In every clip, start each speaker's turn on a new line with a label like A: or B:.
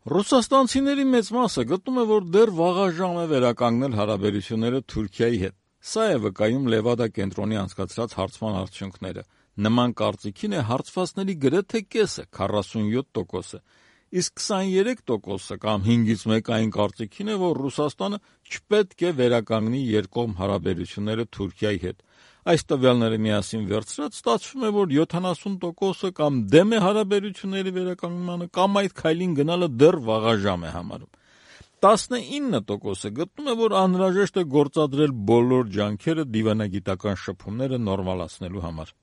A: Ռուսաստանցիների մեծ մասը գտնում է, որ դեռ վաղաժամ է վերականգնել հարաբերությունները Թուրքիայի հետ։ Սա է վկայում Լևադա կենտրոնի անցկացրած հարցման արդյունքները։ Նման կարծիքին է հարցվածների գրեթե կեսը, 47%-ը, իսկ 23% կամ 5-ից 1 այն կարծիքին է, որ Ռուսաստանը չպետք է վերականգնի երկկողմ հարաբերությունները Թուրքիայի հետ։ Այս տվյալները միասին վերցրած ստացվում է, որ 70%-ը կամ դեմ է հարաբերությունների վերականգնմանը, կամ այդ քայլին գնալը դեռ վաղաժամ է համարում։ 19%-ը գտնում է, որ անհրաժեշտ է գործադրել բոլոր ջանքերը դիվանագիտական շփումները նորմալացնելու համար։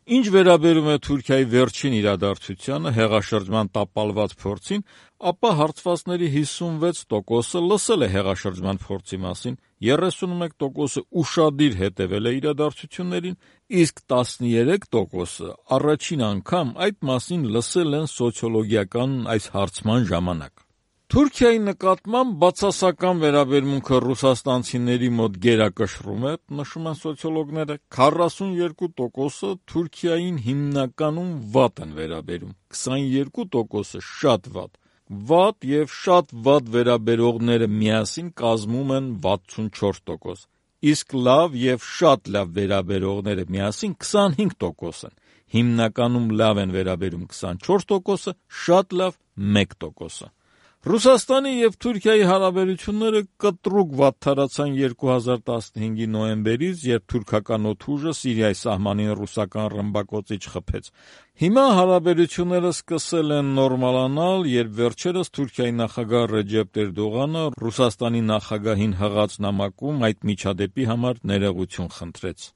A: Ինչ վերաբերում է Թուրքիայի վերջին իրադարձությանը, հեղաշրջման տապալված փորձին, ապա հարցվածների 56%-ը լսել է հեղաշրջման փորձի մասին, 31%-ը ուշադիր հետևել է իրադարձություններին, իսկ 13%-ը առաջին անգամ այդ մասին լսել են սոցիոլոգիական այս հարցման ժամանակ։ Թուրքիայի նկատմամբ բացասական վերաբերմունքը ռուսաստանցիների մոտ գերակշռում է, նշում են սոցիոլոգները, 42%-ը Թուրքիային հիմնականում վատ են վերաբերում, 22%-ը շատ վատ։ Վատ եւ շատ վատ վերաբերողները միասին կազմում են 64%, իսկ լավ եւ շատ լավ վերաբերողները միասին 25% են։ Հիմնականում լավ են վերաբերում 24%-ը, շատ լավ 1%-ը։ Ռուսաստանի եւ Թուրքիայի հարաբերությունները կտրուկ վատթարացան 2015-ի նոյեմբերից, երբ թուրքական օդուժը Սիրիայի սահմանին ռուսական ռմբակոծիչ խփեց։ Հիմա հարաբերությունները սկսել են նորմալանալ, երբ վերջերս Թուրքիայի նախագահ Ռեջեփ Էրդողանը Ռուսաստանի նախագահին հղած նամակում այդ միջադեպի համար ներողություն խնդրեց։